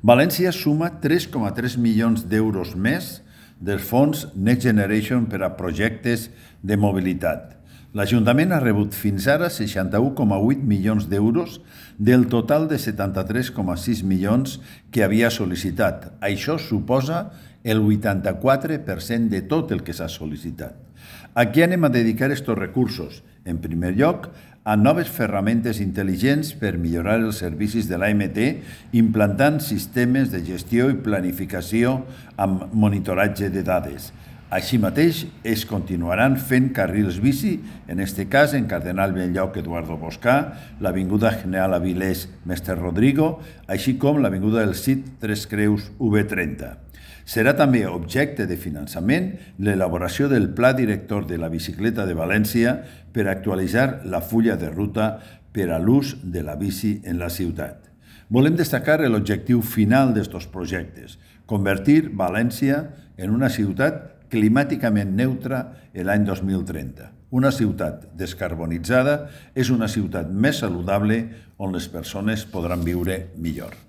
València suma 3,3 milions d'euros més dels fons Next Generation per a projectes de mobilitat. L'Ajuntament ha rebut fins ara 61,8 milions d'euros del total de 73,6 milions que havia sol·licitat. Això suposa el 84% de tot el que s'ha sol·licitat. A què anem a dedicar aquests recursos? En primer lloc, a noves ferramentes intel·ligents per millorar els servicis de l'AMT, implantant sistemes de gestió i planificació amb monitoratge de dades. Així mateix, es continuaran fent carrils bici, en aquest cas en Cardenal Belllloc Eduardo Boscà, l'Avinguda General Avilés Mestre Rodrigo, així com l'Avinguda del Cid Tres Creus V30. Serà també objecte de finançament l'elaboració del Pla Director de la Bicicleta de València per actualitzar la fulla de ruta per a l'ús de la bici en la ciutat. Volem destacar l'objectiu final d'aquests projectes, convertir València en una ciutat climàticament neutra l'any 2030. Una ciutat descarbonitzada és una ciutat més saludable on les persones podran viure millor.